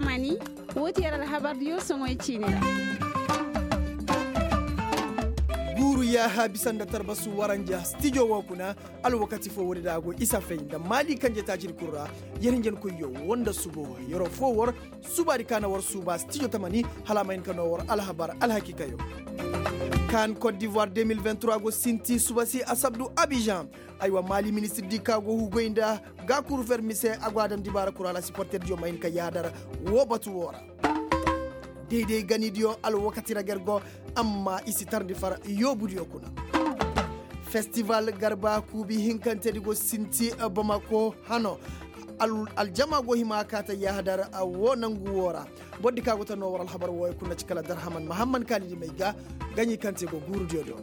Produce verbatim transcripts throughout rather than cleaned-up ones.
Mani, woo ti yer alhabardiyo soŋoy ciini ra. Guuru yaaha bisa nda tarbasu waranja stijo woo kuna. Alwakati foo woodi da a go isa fay nda maali kanje taacidi kul ra. Yer hinjankoyyo woo nda subo yeroo foo war subaadi ka na war suuba stijo tamani hala a ma hin ka noo war alhabar alhakiikayo. Kaan kot divoir deux mille vingt trois go sinti suba si asabdu abijan. Aywa maali ministirdi ka go hugay nda gaakuru fermi se a go a daŋ dibaara kul hala siporterdiyo ma hin ka yaadar woo batu woo ra. Day-day ganidiyo alwakati ra ga yer go. Amma i si tarndi far yoobudiyo kuna. Festival garba kuubi hinkantedi go sinti bamako hano. Aljama go hima ka ta yahadar woo nangu woo ra. Bordi ka go ta noo war alhabar wooyo kuna ci kala darhaman mahamman kaalidi may ga. Gaɲi kaŋ te go guurudiyo do.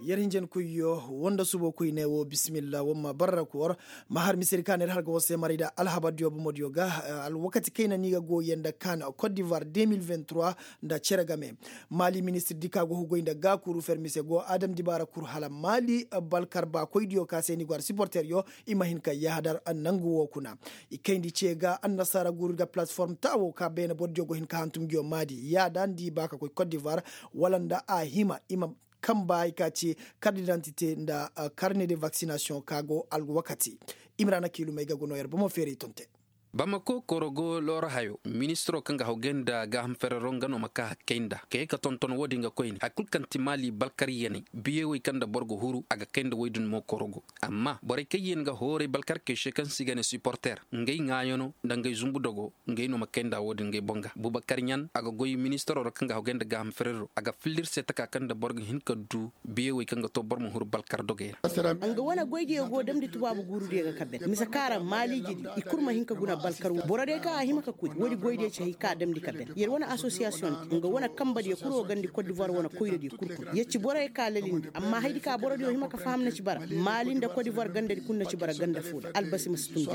Yer hinjankoyyo woo nda subo koyne woo bisimilla war ma barra ka war. Ma har misedi ka na ir har ga war se maray nda alhabardiyo bomodiyo ga. Alwakati kayna ni ga gooyey nda kaan kot divoir deux mille vingt trois nda cere game. Maali ministirdi ka go hugay nda gaakuru fermi se go a dam dibaara kul hala maali balkar baakoydiyo ka se ni go har siporteryo i ma hin ka yahadar nangu woo kuna. I kayndi ce ga annasaara guuru ga palasform taawo ka beene bordiyo go hin ka hantum nguyo maadi yaada nda i ba ka koy kot divoir wala nda a hima i ma kamba hay ka ci kart didantite nda karne de vaksinasiyoŋ ka go alwakati. Imrana kiilumey ga go noo yer bomo feeray tonte. Bamako korogo looro hayo ministiro kaŋ ga hawgay nda gaaham ferero nga no ma ka hakkay nda ka ye ka tonton wo-din ga koyne hari kulu kaŋ ti maali balkar yaney biyewey kaŋ nda boro ga huru a ga kay nda woy din mo korogo. Amma borey kaŋ yee nga hooray balkar kay se kaŋ se i ga ne siporter ngey ŋaayano nda ngey zumbu dogo. Ngey no ma kay nda wo-din ngey boŋ ga bubakar ɲan a ga goy ministiro ra kaŋ ga hawgay nda gaaham ferero a ga filli ir se taka kaŋ nda boro ga hin ka du biyewey kaŋ ga to boro ma huru balkar dogey ra. Nga wane goydiyo go damndi tubaabu guurudiyo ga ka ben mise kaŋ a ra maaliijedi i kul ma hin ka guna balkar wo borodiyo kaŋ a hima ka koy woodi goydiyo ci hay ka a damndi ka ben yer wane asosiyasiyoŋ di nga wane kambadiyo kul wo gandi kot divoir wane koyradiyo kul kuna yer ci borodiyo kaŋ a lalindi amma hayadi kaŋ borodiyo hima ka faham na ci bara maali nda kot divoir gandadi kul na ci bara ganda foo da albasi ma si tun.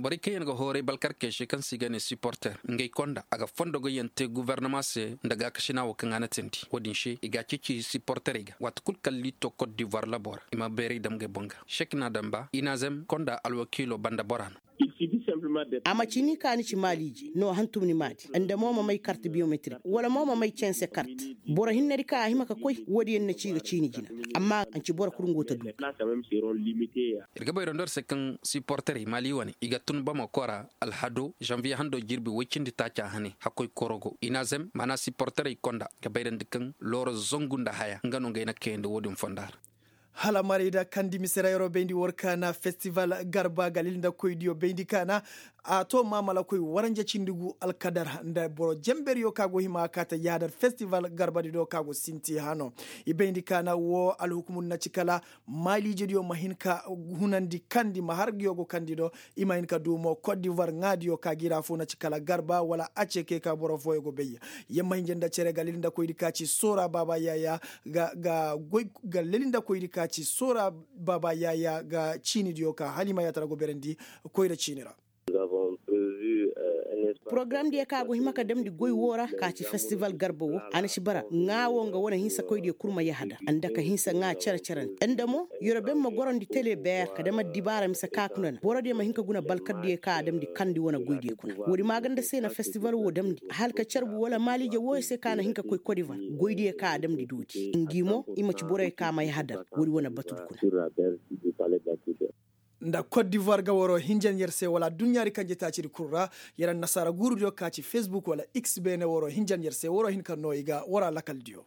Borey kaŋ yaŋ ga hooray balkarkey se kaŋ se i ga ne siporter ngey konda a ga fondogoyaŋ te gobornama se nda gaakasina wo kaŋ a na teendi wo-din se i ga a ceeci siporterey ga waati kul kaŋ liito kot divoir labo ra i ma bayray dam ngey boŋ ga sek na damba inazem konda alwakiilo banda bora no. A ma ci ni ka ni ci maaliije no hantum ni maadi nda mo ma may kart biyometrik wala mo ma may cense kart. Boro hinnedi kaŋ a hima ka koy wo-din yaŋ na ci i ga ciini jina. Amma a nci boro kul nga wo ta du. Ir ga bayra nda ir se kaŋ siporterey maali wane i ga tun bamako ra alhado zanviye hando jirbi woy cindi taaca hane hakkoy korogo inazem maana siporterey konda ga bayrandi kaŋ looro zangu nda haya nga no ngey na kayandi wo-din fonda ra. Hala maray da kandi mise ra yeroo bayndi war kaana festival garba galil nda koydiyo bayndi kaana. A to maamalakoy waranja cindi gu alkadar nda boro jemberiyo ka go hima ka ta yaadar festival garbadi do ka go sinti hano. I bayndi kaana wo alhukumur na ci kala maaliijediyo ma hin ka hunandi kandi ma har nguyo go kandi do. I ma hin ka du mo kot divoir ŋaadiyo ka gi ra fo na ci kala garba wala a ce ke ka boro fooyo go bay. Yer ma hinja nda cere ga leli nda koydi ka ci soora baaba yaayaa ga ga goy ga leli nda koydi ka ci soora baaba yaayaa ga ciinidiyo ka hala i ma yaatara go berandi koyra ciini ra. Porogaramdiyo kaŋ a go hima ka damndi goy woo ra ka ci festival garba woo a na ci bara ŋaa woo nga wane hinsa koydiyo kul ma yahadar nda ka hinsa ŋaa cere-cere nda mo yoroben ma gorondi tele beer ka dam addibaara mise ka kuna na borodiyo ma hin ka guna balkardiyo kaŋ a damndi kandi wane goydiyo kuna woodi maaganda se na festival woo damndi hala ka carbu wala maaliije wooyo se kaŋ a na hin ka koy kodivar goydiyo kaŋ a damndi dooti ngi mo i ma ci boroyo kaŋ a ma yahadar woodi wane batudu kuna. Nda kot divoir ga waroo hinjan yer se wala adduɲɲaadi kanje taacidi kul ra. Yer annasaara guurudiyo ka ci fesbuk wala x beene waroo hinjan yer se waroo hin ka noo i ga waraa lakaldiyo.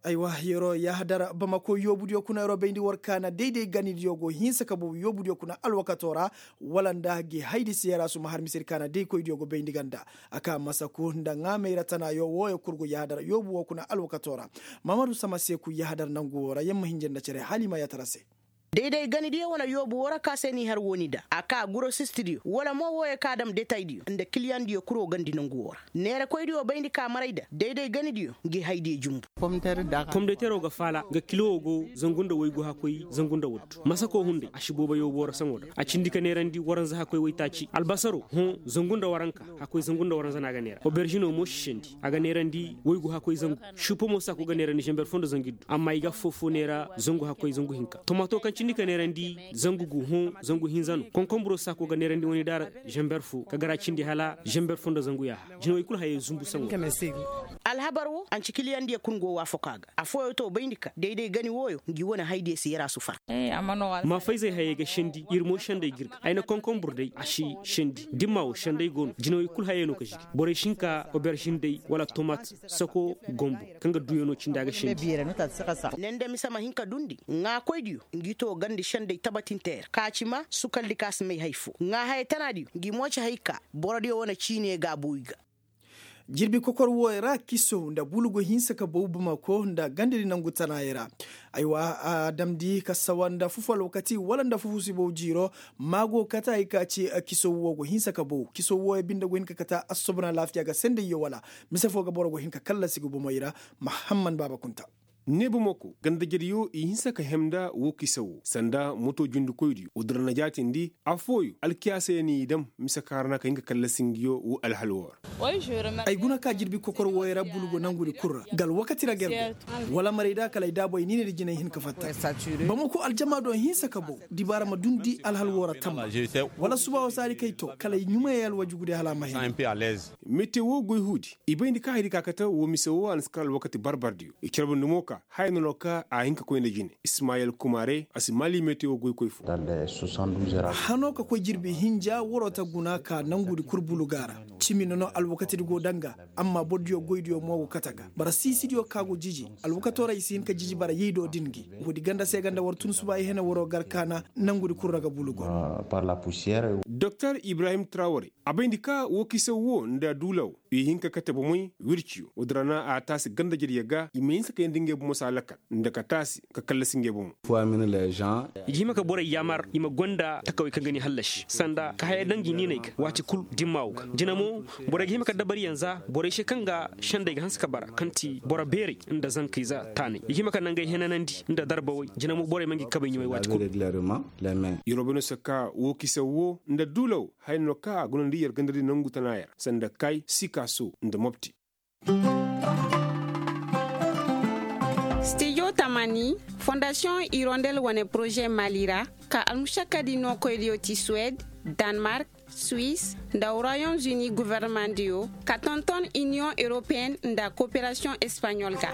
Aywa yeroo yahadar bamako yoobudiyo kuna yeroo bayndi war kaana day-day ganidiyo go hinsa ka boobu yoobudiyo kuna alwakatoo ra. Wala nda gi haydi se yer a suma har misedi kaana day koydiyo go bayndi ga nda a ka masaku nda ŋaamayra tanaayo wooyo kul go yahadar yoobu woo kuna alwakatoo ra. Mahamadu sama seeku yahadar nangu woo ra yer ma hinja nda cere hala i ma yaatara se. Day-day ganidiyo wane yoobu woo ra ka se n'i har wooni da a ka gurosistidiyo wala mo wooyo ka dam detaydiyo nda kiliyaŋdiyo kul wo gandi nangu woo ra neerakoydiyo bayndi ka maray da day-day ganidiyo ngi haydiyo jumbu. Pomdeteroo ga faala nga kilo woo go zangu nda waygu hakkoy zangu nda waddu masakoo hunday a si boobo yoobu woo ra saŋo da a cindi ka neerandi waranza hakkoy waytaaci albasaroo hõ zangu nda waranka hakkoy zangu nda waranza no a ga neera oberžinoo mo sisandi a ga neerandi waygu hakkoy zangu. Šuupa mo saako ga neerandi zanber foo nda zangu iddu amma i ga affoo foo neera zangu hakkoy zangu hinka tomato kaŋ Cindi ka neerandi zangu gu hõ zangu hinza no konkonburo saako ga neerandi wane daara. Zamber fo ka gara cindi hala zamber fo nda zangu yaaha jinawey kulu hayey zumbu saŋo. Alhabar wo anci kiliyandiyo kul go waafaku a ga. Afooyo to bayndi ka dayday gani wooyo ngi wane haydiyo se yer a su far. Ma fayzey hayey ga sendi ir mo senday ga ir ga ay na konkonbur day a si sendi dimma wo senday go no jinawey kul hayey no ka zigi borey si hin ka oberzin day wala tomat sako gombo kaŋ ga duuyo no cindi a ga sendi. Ne nda mise ma hin ka dundi ŋaakoydiyo ngi to gandi senday tabatinteer ka ci ma sukaldi ka si may hay fo ŋaahaya tanaadiyo ngi mo ci hay ka borodiyo wane ciine gaabuwi ga. Jirbi kokor wooyo ra kiso nda bulu go hinsa ka bow bamako nda gandadi nangu tanaayey ra. Aywa a damndi ka sawa nda fufu alwakati wala nda fufu sibow jiiro. Ma go kate hay ka ci kiso woo go hinsa ka bow kiso wooyo binde go hin ka kate assobon alaafiya ga sendayyo wala mise foo ga boro go hin ka kallasi ga bomey ra. Mahamman baaba kunta. Ne bomoko gandajediyo i hinsa ka hem nda woo kisa woo sanda moto jundikoydiyo woo dira na jaatindi. Affooyo alkiyaasayey n'i dam mise kaŋ ra na ka hin ka kallasi ngiyo woo alhal woo ra. Ay guna ka jirbi kokor wooyo ra bulu go nangudi kul ra nga alwakati ra ga yer go wala maray da kala ay daabey niinedi jinay hin ka fatta. Bamako aljamaado hinsa ka bow dibaara ma dundi alhal woo ra tamma. Wala suba woo saari kay to kala ay ɲumayey alwajugudi hala a ma hena. Mete woo goy huudi i bayndi ka haydi ka kate woo mise woo a na si kar alwakati barbardiyo i carbandi mo ka haya no no ka a hin ka koy nda jine. Ismayel kumaare a si maali mete woo goykoy fo. Hanoo ka koy jirbi hinja waroo ta guna ka nangudi kul buluga ra. Cimi no no alwakatidi go danga. Amma bordiyo goydiyo mo go kate ga bara siisidiyo ka go jiji. Alwakatoo ra i si hin ka jiji bara yaydo din gi. Woodi ganda se ganda war tun suba i hene waroo gar kaana nangudi kul ra ga bulugo. Doktor ibrahim traware a bayndi ka woo kisaw woo nda duula woo i hin ka kate bomey wirciyo woodi ra na a taasi gandajediyo ga i ma hinsa ka yeendi ngey bomo se a lakal nda ka taasi ka kallasi ngey bomo. I ga hima ka borey yaamar i ma gonda takawey kaŋ ga ni hallasi sanda ka haya daŋ gi niiney ga waati kul dimma woo ga jina mo. Borey ga hima ka dabariyaŋ za borey se kaŋ ga sendey ga hanse ka bara kaŋ ti boro beerey nda zankey za taanay i ga hima ka naŋ gay henanandi nda darbawey jina mo borey ma ngi kabey ɲumay waati kul. Yeroo bay no se ka woo kisaw woo nda duula woo haya no kaŋ a gunandi yer gandadi nangu tanaaya ra sanda kay sikaso nda mopti. Stijo tamani fondasiyoŋ irondel wane poroze mali ra ka almušakkadi nookoydiyo ti suwed, danmark, suis, nda royaume-uni governemandiyo ka tonton iniyoŋ europeyen nda koperasiyoŋ espaɲol ga.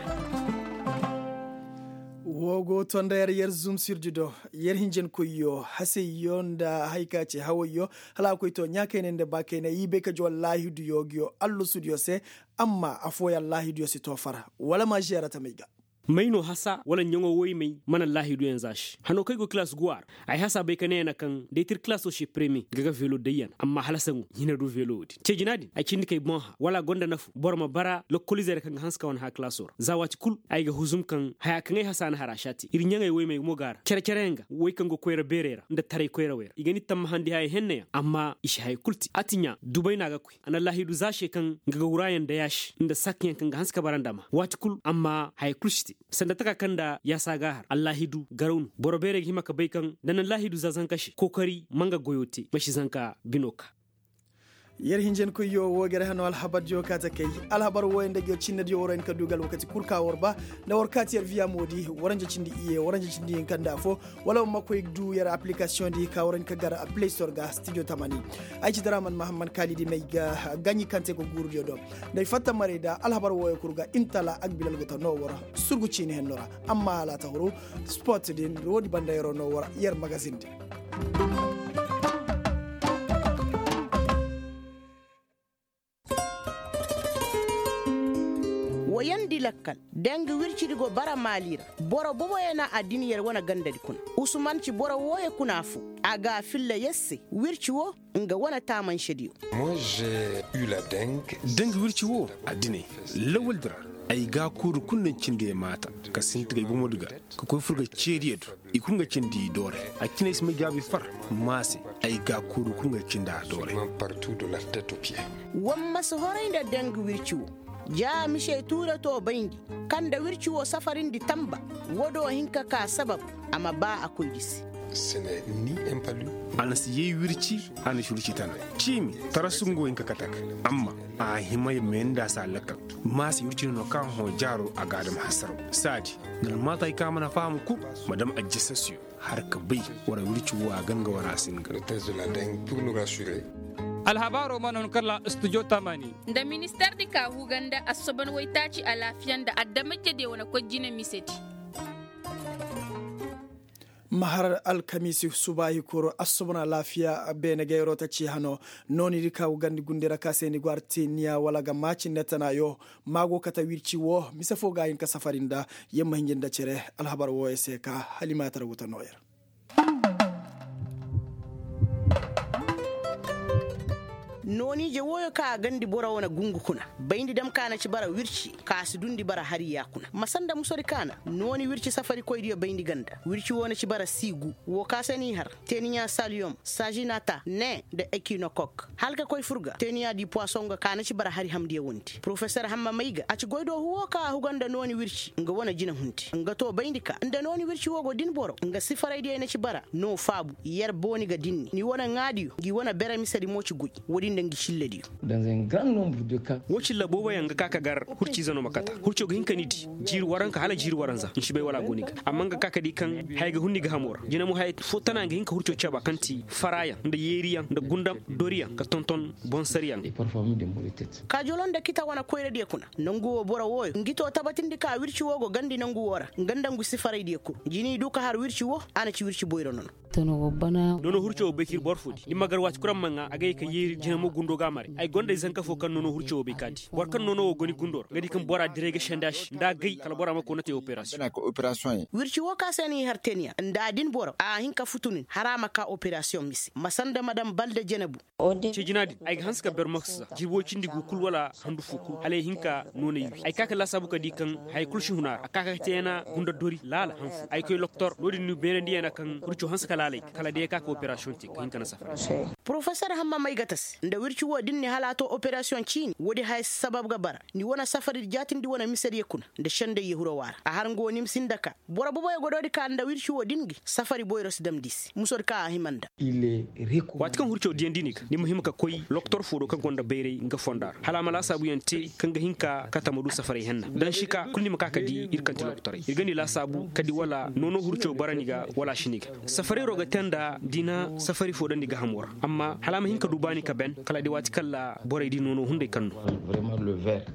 Woo go to nda yer yer zum sirdi do yer hinjankoyyo hasayyo nda haya ka ci hawayyo hala a koy to ɲaakaynay nda baakaynay i bay ka jaw allaahiduyo nguyo allusudiyo se. Amma affooyaŋ allaahiduyo si to far wala ma žeera tamey ga. May no hasa wala ɲaŋo woy may mana allaahiduyaŋ za se hanoo kaŋ ay go kilaas guwa ra. Ay hasa bay ka ne yana kaŋ da ay tir kilaasoo se premiye ga ga velo dayyan amma hala saŋo hina du velo wo-din ce jina din ay cindi kay boŋ hã wala a gonda nafu boro ma bara lokolizeerey kaŋ ga hanse ka wane hã kilaasoo ra za waati kul ay ga huzum kaŋ haya kaŋ ay hasa na har a si a te ir ɲaŋey woy may mo ga a ra cere-cereyaŋ ga woy kaŋ go koyra beerey ra nda taray koyrawey ra i ga ni tammahandi haya henneyaŋ amma i si haya kul te a ti ɲaa dubay no a ga koy a na allaahidu za se kaŋ nga ga wuraayaŋ nda yaasi nda sakkayaŋ kaŋ ga hanse ka bara nda ma waati kul amma haya kul si te. Sanda taka kaŋ nda yaasa ga a har allaahidu garaw no boro beerey ga hima ka bay kaŋ nda na allaahidu za zanka se kookari ma nga goyoo te ma si zanka binoo ka. Yer hinjankoyyo woo ga yer hano alhabardiyo kaa ta kay. Alhabar wooyo nda nguyo cinnediyo war hin ka du ga alwakati kul ka war ba nda war kaati yer viya moodi waranja cindi iyye waranja cindi hinka nda affoo. Wala war ma koy du yer aplikasiyoŋ di ka war hin ka gar play store ga stijo tamani. Ay ci daraman mahamman kaalidi may ga gaɲi kaŋ te ga guurudiyo do. Nda ay fatta maray nda alhabar wooyo kul ga intala agbilal go ta noo war surgu ciini henno ra. Amma hala a ta huru sport din woodi banda yeroo noo war yer magazin din. Woyandi lakkal danga wircidi go bara maali ra. Boro boboyaŋ na a din yer wane gandadi kuna. Usuman ci boro wooyo kuna affoo. A ga a filla yer se wirci woo nga wane taamansediyo. Danga wirci woo a dinay lawaldi ra. Ay gaakuuru kul na cindi ay maata ka sinti ga ay bomodi ga ka koy fur ga ceediyo do. I kul nga cindi i doore. A cine ay si may jaabi far maase. Ay gaakuuru kul nga cindi a doore. War ma si horay nda danga wirci woo. Ja mise tuure to bayndi kaŋ nda wirci woo safarindi tamba. Woo do hin ka kaa sabab a ma baa a koydi se. A na si yay wirci. A na si wirci tana ciimi. Tarasu nga wo hin ka kate ga amma a hima ya meendi a si a lakkal. Ma si wirci no no kaŋ hõ jaaro a ga a dam hasaraw. Saadi nda almaatay kaŋ a mana faham kul ma dam ajjasasiyo. Har ka bay wara wirci wo a ga nga wara a si nga. Alhabaaro mana hun kala studio tamani. Nda minister di ka huga nda assoban waytaaci alaafiya nda adamajediyo wane koy jine misedi. Mahar alkamiisi subaahi kuru assobon alaafiya beene gayro ta ci hano. Nooni di ka huga nda gundi ra ka se ni go artiniya wala ga maaci nda tana yo. Ma go kate wirci wo mise fo ga a hin ka safari nda. Yer ma hinji nda cere alhabar wooyo se ka halimatar wuta nooyer. Nooni-ije wooyo ka a gandi boro wane gungu kuna bayndi dam ka na ci bara wirci ka a si dundi bara hari ya kuna ma sanda musodi ka na nooni wirci safarikoydiyo bayndi ganda wirci woo na ci bara siigu. Woo ka se n'i har teniya saliyom sajinata ne nda ekinokok hala ka koy fur ga teniya di puwason ga ka na ci bara hari hamdiyo wondi porofesor hamma may ga a ci goydoohu woo ka a huga nda nooni wirci nga wane jina hundi nga too bayndi ka nda nooni wirci woo go din boro nga sifaraydiyo na ci bara noo faabu yer booni ga dinni ni wane ŋaadiyo ngi wane bere misedi mo ci goy. Woodin nda ngi cillediyo. Woo cilla booboyaŋ ga ka ka gar hurciize no ma kata hurco ga hin ka ni di jiiri waranka hala jiiri waranza nsi bay wala a go ni ga amma nga ka ka di kaŋ haya ga hun ni gahamoo ra jina mo haya fo tana nga hin ka hurco caba kaŋ ti faraayaŋ nda yeeriyaŋ nda gundam doriyaŋ ka tonton bonsariyaŋ. Kaajolo nda kita wane koyradiyo kuna nangu woo boro wooyo ngi too tabatindi ka wirci woo go gandi nangu woo ra nga nda ngu sifaraydiyo kul jini du ka har wirci woo a na ci wirci boyro nono. Nono hurco wo bay ka ir boro fo di ni ma gar waati kul a ma ŋaa a ga ye ka yeeri jina mo gundo ga a mare ay gonda ay zanka fo kaŋ nono hurco wo bay ka di boro kaŋ nono wo go ni gundo ra nga di kaŋ bora diray ga senda se nda a gay kala bora ma koy na te operasiyoŋ. Wirci woo ka se no i har teniya nda a din boro a hin ka futu nin har a ma ka operasiyoŋ mise ma sanda madam balde jenebu. Cee jina din ay ga hanse ka ber moksa jirbi woy cindi gu kul wala handu fo kul hala ay hin ka noonay wi ay ka ka laasaabu ka di kaŋ haya kul si hun a ra a ka ka teena gunda dori laala han fo ay koy loktor no-din ni beenandiyaŋ na kaŋ hurco hanse ka laalay kala day ay ka ka operasiyoŋ te ka hin ka na safara. Porofesor hamma may ga ta se nda wirci woo din ni hala a to operasiyoŋ ciini woodi haya si sabab ga bara ni wane safari jaatindi wane misediyo kuna nda senday yahuro waara a har nga woo ni ma sinda ka boro boboyo godoodi ka nda wirci woo din gi safari boyro si damndi se musodi ka a hima nda. Waati kaŋ hurco diyandi ni ga ni ma hima ka koy loktor fo do kaŋ gonda bayray nga fonda ra hala a ma laasaabuyaŋ te kaŋ ga hin ka kate ma du safaray henna daŋ si ka kul ni ma ka ka di ir kaŋ ti loktoray ir ga ni laasaabu ka di wala noono hurco bara ni ga wala a si ni ga. Safarayro ga te nda da i na safari fo daŋ ni gahamo ra amma hala a ma hin ka du baani ka ben kala day waati kaŋ ra borey di noono hunday kaŋ no.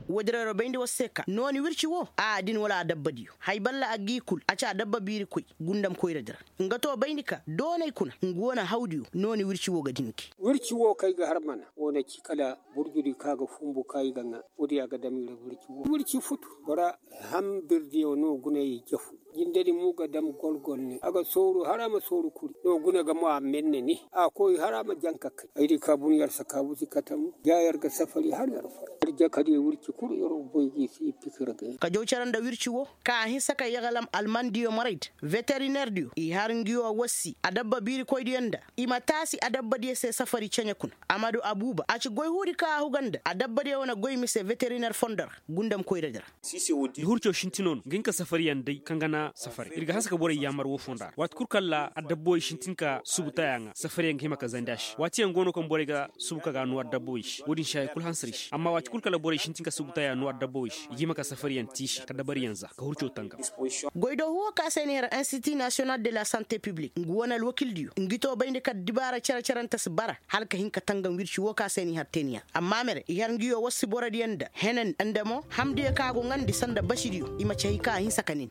Woodin ra bayndi war se ka nooni wirci wo a din wala a dabbadiyo hay balla a g'i kul a ci a dabba biiri koy gundam koyradi ra. Nga to bayndi ka doonay kuna nga wane hawdiyo nooni wirci wo ga dinki. Wirci wo kaŋ ay ga har mana wo na ci kala burjudi kaŋ a ga fumbu kaŋ ay ga ŋaa woodiyo a ga dam i ra wirci wo wirci futu bora hambirdiyo no guna i jafu. Jindedi mo ga dam golgol ne a ga sooru har a ma sooru kuri no guna ga mo a menne ne a koy har a ma janka kay ay di ka bun yar sakaabu si katamu ja yar ga safari har yar far yar jakadiyo wirci kul yar boy gi si i pikir ga. Ka jaw care nda wirci wo ka a hinsa ka yagalam almandiyo moray da veterinerdiyo i har ngiyo wassi adabba biirikoydiyo nda i ma taasi adabbadiyo se safari ceɲe kuna. Amadu abuuba a ci goy huudi ka a huga nda adabbadiyo wane goy mise veteriner fondo ra gundam koyradi ra. Ni hurco sintinoo no ga hin ka safariyaŋ day kaŋ ga na safari ir ga hanse ka borey yaamar woo fonda ra waati kul kaŋ ra adabboyey sintin ka subu taya ŋaa safariyaŋ ga hima ka zandi a se waatiyaŋ go no kaŋ borey ga subu ka ga noo adabboyey se woo din se haya kul hanse ra i se amma waati kul kaŋ ra borey sintin ka subu taya noo adabboyey se i ga hima ka safariyaŋ tiisi ka dabariyaŋ za ka hurco tangam. Goydoohu woo ka se ni har insiti nasiyonal de la sante piblik ngu wane alwakildiyo ngi too bayndi ka dibaara cere-cerante si bara hala ka hin ka tangam wirci woo ka se ni har teeniya amma mere i har ngiyo war si borodiyo nda henen nda mo hamdiyo ka go ŋandi sanda basidiyo i ma ci hay ka a hinsa ka nin.